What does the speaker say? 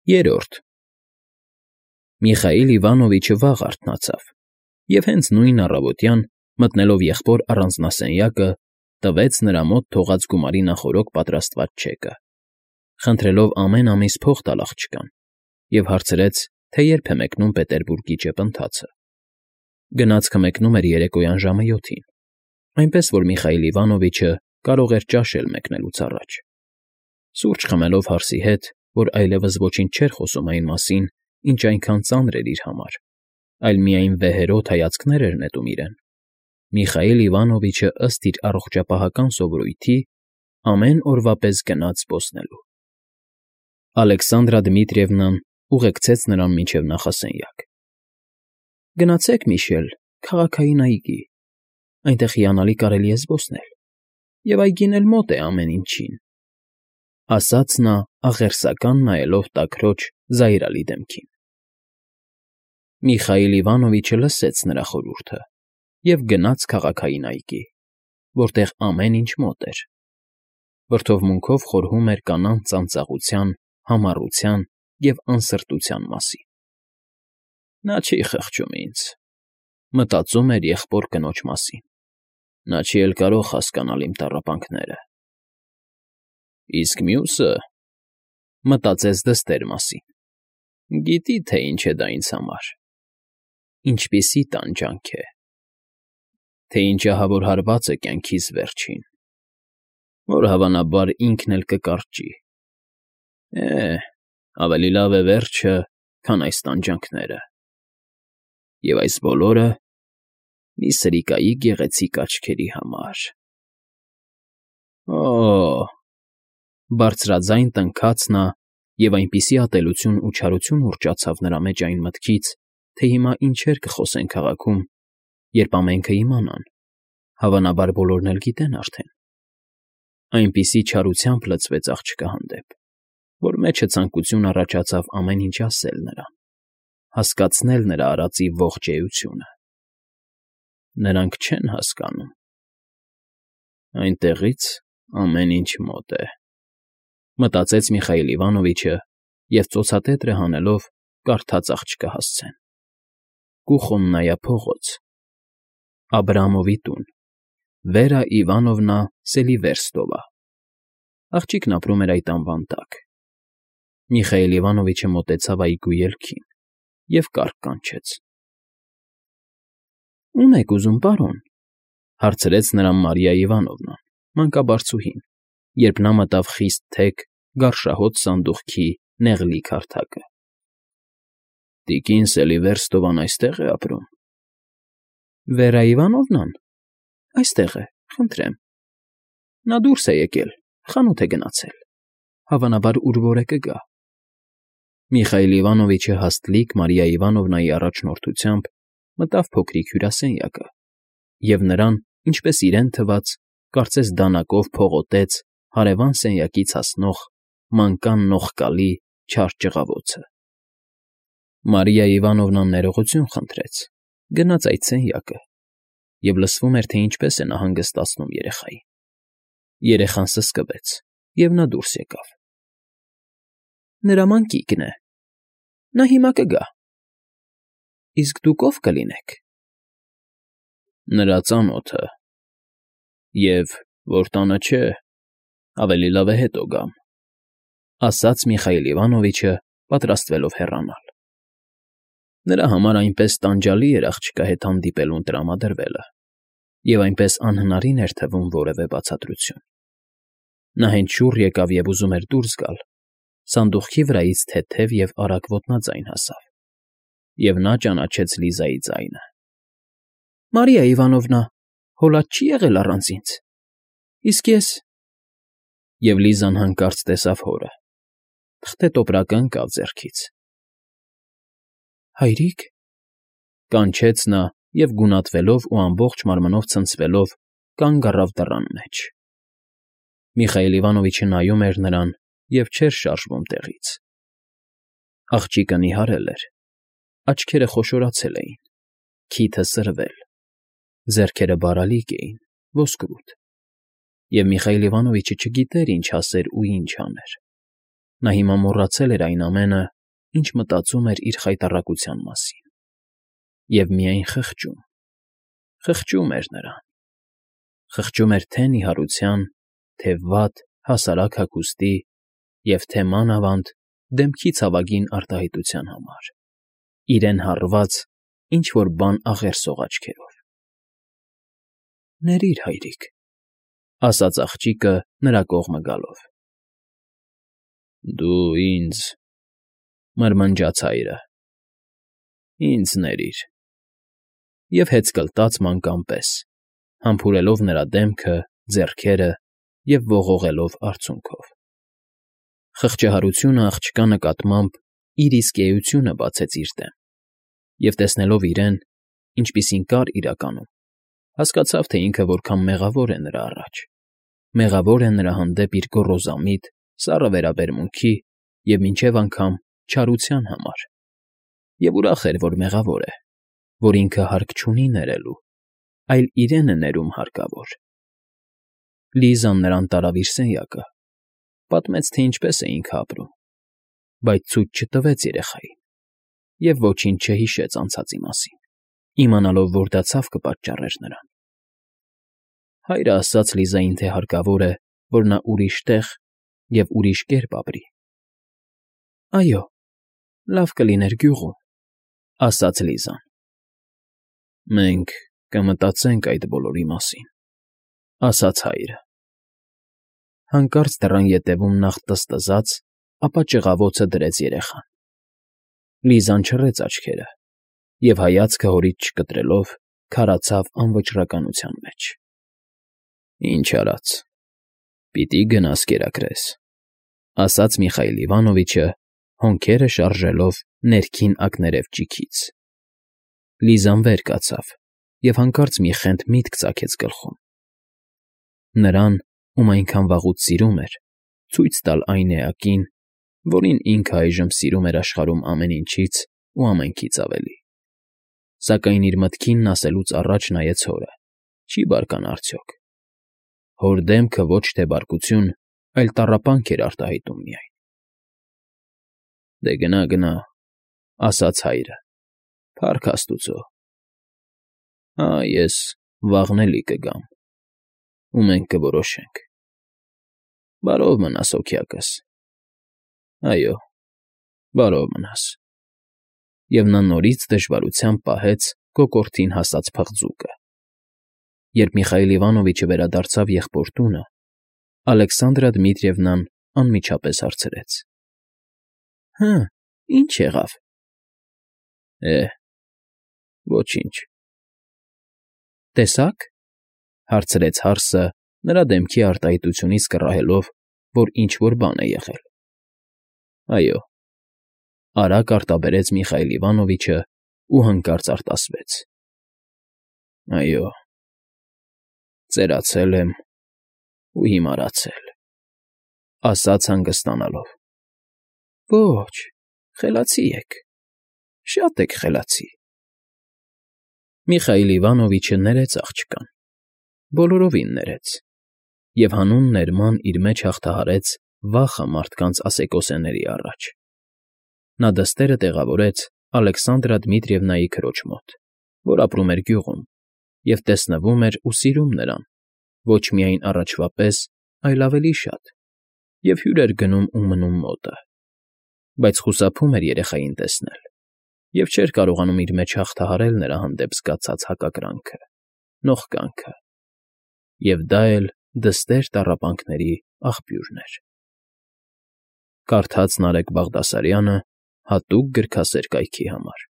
Երրորդ Միխայիլ Իվանովիչը վաղ արթնացավ և հենց նույն առավոտյան, մտնելով եղբոր առանձնասենյակը, տվեց նրա մոտ թողած գումարի նախօրոք պատրաստված չեկը, խնդրելով ամեն ամիս փող տալ աղջկան, և հարցրեց, թե երբ է մեկնում Պետերբուրգի ճեպընթացը։ Գնացքը մեկնում էր երեկոյան ժամը 7-ին, այնպես որ Միխայիլ Իվանովիչը կարող էր ճաշել մեկնելուց առաջ։ Սուրճ խմելով հարսի հետ, որ այլևս ոչինչ չէր խոսում այն մասին, ինչ այնքան ծանր էր իր համար, այլ միայն վեհերոտ հայացքներ էր նետում իրեն, Միխայիլ Իվանովիչը ըստ իր առողջապահական սովորույթի ամեն օրվա պես գնաց զբոսնելու։ Ալեքսանդրա Դմիտրիևնան ուղեկցեց նրան մինչև նախասենյակ։ Գնացեք, Միշել, քաղաքային այգի, այնտեղ հիանալի կարելի է զբոսնել, և այգին էլ մոտ է ամեն ինչին, ասաց նա աղերսական նայելով տաքրոջ զայրալի դեմքին։ Միխայիլ Իվանովիչը լսեց նրա խորհուրդը և գնաց քաղաքային այգի, որտեղ ամեն ինչ մոտ էր, վրդովմունքով խորհում էր կանանց ծանծաղության, համառության և անսրտության մասին։ Նա չի խղճում ինձ, մտածում էր եղբոր կնոջ մասին, նա չի էլ կարող հասկանալ իմ տառապանքները։ Իսկ մյուսը, մտածեց դստեր մասին, գիտի, թե ինչ է դա ինձ համար, ինչպիսի տանջանք է, թե ինչ ահավոր հարված է կյանքիս վերջին, որ հավանաբար ինքն էլ կկարճի։ Ավելի լավ է վերջը, քան այս տանջանքները։ Եվ այս բոլորը մի սրիկայի գեղեցիկ աչքերի համար։ Բարձրաձայն տնքաց նա և այնպիսի ատելություն ու չարություն ուռճացավ նրա մեջ այն մտքից, թե հիմա ինչեր կխոսեն քաղաքում, երբ ամենքը իմանան, հավանաբար բոլորն էլ գիտեն արդեն։ Այնպիսի չարությամբ լցվեց աղջկա հանդեպ, որ մեջը ցանկություն առաջացավ ամեն ինչ ասել նրան, հասկացնել նրա արածի ողջ էությունը։ Նրանք չեն հասկանում։ Այնտեղից ամեն ինչ մոտ է, մտածեց Միխայիլ Իվանովիչը և ծոցատետրը հանելով կարդաց աղջկա հասցեն. Կուխոննայա փողոց, Աբրամովի տուն, Վերա Իվանովնա Սելիվերստովա։ Աղջիկն ապրում էր այդ անվան տակ։ Միխայիլ Իվանովիչը մոտեցավ այգու ելքին և կառք կանչեց։ Ո՞ւմ եք ուզում, պարոն, հարցրեց նրան Մարիա Իվանովնան, մանկաբարձուհին, երբ նա մտավ խիստ թեք, գարշահոտ սանդուղքի նեղլիկ հարթակը։ Տիկին Սելիվերստովան այստե՞ղ է ապրում։ Վերա Իվանովնան այստեղ է, խնդրեմ։ Նա դուրս է եկել, խանութ է գնացել, հավանաբար ուր որ է կգա։ Միխայիլ Իվանովիչը հաստլիկ Մարիա Իվանովնայի առաջնորդությամբ մտավ փոքրիկ հյուրասենյակը և նրան, ինչպես իրեն թվաց, կարծես դանակով փողոտեց հարևան սենյակից հասնող մանկան նողկալի չար ճղավոցը։ Մարիա Իվանովնան ներողություն խնդրեց, գնաց այդ սենյակը, և լսվում էր, թե ինչպես է նա հանգստացնում երեխային։ Երեխան սսկվեց, և նա դուրս եկավ։ Նրա մանկիկն է։ Նա հիմա կգա։ Իսկ դուք ո՞վ կլինեք։ Նրա ծանոթը։ Եվ որ տանը չէ, ավելի լավ է հետո գամ, ասաց Միխայիլ Իվանովիչը, պատրաստվելով հեռանալ։ Նրա համար այնպես տանջալի էր աղջկա հետ հանդիպելուն տրամադրվելը, և այնպես անհնարին էր թվում որևէ բացատրություն։ Նա հենց շուռ եկավ և ուզում էր դուրս գալ, սանդուղքի վրայից թեթև և արագ ոտնաձայն հասավ, և նա ճանաչեց Լիզայի ձայնը։ Մարիա Իվանովնա, հոլած չի եղել առանց ինձ։ Իսկ ես… Եվ Լիզան հանկարծ տեսավ հորը, թղթե տոպրակը ընկավ ձեռքից։ Հայրիկ… կանչեց նա և գունատվելով ու ամբողջ մարմնով ցնցվելով կանգ առավ դռան մեջ։ Միխայիլ Իվանովիչը նայում էր նրան և չէր շարժվում տեղից։ Աղջիկը նիհարել էր, աչքերը խոշորացել էին, քիթը սրվել, ձեռքերը բարալիկ էին, ոսկրուտ, և Միխայիլ Իվանովիչը չգիտեր ինչ ասեր ու ինչ աներ։ Նա հիմա մոռացել էր այն ամենը, ինչ մտածում էր իր խայտառակության մասին, և միայն խղճում էր նրան, խղճում էր թե նիհարության, թե վատ, հասարակ հագուստի և թե մանավանդ դեմքի ցավագին արտահայտության համար, իրեն հարված ինչ֊որ բան աղերսող աչքերով։ ֊ Ներիր, հայրիկ, ֊ ասաց աղջիկը նրա կողմը գալով։ ֊ Դու ինձ, ֊ մրմնջաց հայրը, ֊ ինձ ներիր, և հեծկլտաց մանկան պես, համբուրելով նրա դեմքը, ձեռքերը և ողողելով արցունքով։ Խղճահարությունը աղջկա նկատմամբ իր իսկ էությունը բացեց իր դեմ, և տեսնելով իրեն, ինչպիսին կար իրականում, հասկացավ, թե ինքը որքան մեղավոր է նրա առաջ, մեղավոր է նրա հանդեպ իր գոռոզամիտ, սառը վերաբերմունքի և մինչև անգամ չարության համար, և ուրախ էր, որ մեղավոր է, որ ինքը հարկ չունի ներելու, այլ իրեն է ներում հարկավոր։ Լիզան նրան տարավ իր սենյակը, պատմեց, թե ինչպես է ինքը ապրում, բայց ցույց չտվեց երեխային և ոչինչ չհիշեց անցածի մասին, իմանալով, որ դա ցավ կպատճառեր նրան։ Հայրը ասաց Լիզային, թե հարկավոր է, որ նա ուրիշ տեղ և ուրիշ կերպ ապրի։ ֊ Այո, լավ կլիներ գյուղում, ֊ ասաց Լիզան։ ֊ Մենք կմտածենք այդ բոլորի մասին, ֊ ասաց հայրը։ Հանկարծ դռան ետևում նախ տզտզաց, ապա ճղավոցը դրեց երեխան։ Լիզան չռեց աչքերը և, հայացքը հորից չկտրելով, քարացավ անվճռականության մեջ։ ֊ Ինչ արած, պիտի գնաս կերակրես, ֊ ասաց Միխայիլ Իվանովիչը, հոնքերը շարժելով ներքին ակներև ճիգից։ Լիզան վեր կացավ և հանկարծ մի խենթ միտք ծագեց գլխում. նրան, ում այնքան վաղուց սիրում էր, ցույց տալ այն էակին, որին ինքը այժմ սիրում էր աշխարհում ամեն ինչից ու ամենքից ավելի։ Սակայն իր մտքինն ասելուց առաջ նայեց հորը. չի բարկանա արդյոք։ Հոր դեմքը ոչ թե բարկություն, այլ տառապանք էր արտահայտում միայն։ ֊ Դե գնա, գնա, ֊ ասաց հայրը, ֊ փառք աստուծո։ Հա, ես վաղն էլի կգամ, ու մենք կորոշենք։ Բարով մնաս, հոգյակս, այո, բարով մնաս։ Եվ նա նորից դժվարությամբ պահեց կոկորդին հասած փղձուկը։ Երբ Միխայիլ Իվանովիչը վերադարձավ եղբոր տունը, Ալեքսանդրա Դմիտրիևնան անմիջապես հարցրեց. ֊ Հը, ի՞նչ եղավ։ ֊ Ոչինչ։ ֊ Տեսա՞ք, ֊ հարցրեց հարսը, նրա դեմքի արտահայտությունից կռահելով, որ ինչ֊որ բան է եղել։ ֊ Այո, ֊ արագ արտաբերեց Միխայիլ Իվանովիչը ու հանկարծ արտասվեց։ ֊ Այո, ծերացել եմ ու հիմարացել, ֊ ասաց հանգստանալով։ ֊ Ոչ, խելացի եք, շատ եք խելացի։ Միխայիլ Իվանովիչը ներեց աղջկան, բոլորովին ներեց, և հանուն ներման իր մեջ հաղթահարեց վախը մարդկանց ասեկոսեների առաջ։ Նա դստերը տեղավորեց Ալեքսանդրա Դմիտրիևնայի քրոջ մոտ, որ ապրում էր գյուղում, և տեսնվում էր ու սիրում նրան, ոչ միայն առաջվա պես, այլ ավելի շատ, և հյուր էր գնում ու մնում մոտը, բայց խուսափում էր երեխային տեսնել և չէր կարողանում իր մեջ հաղթահարել նրա հանդեպ զգացած հակակրանքը, նողկանքը, և դա էլ դստեր տառապանքների աղբյուրն էր։ Կարդաց Նարեկ Բաղդասարյանը հատուկ գրքասեր կայքի համար։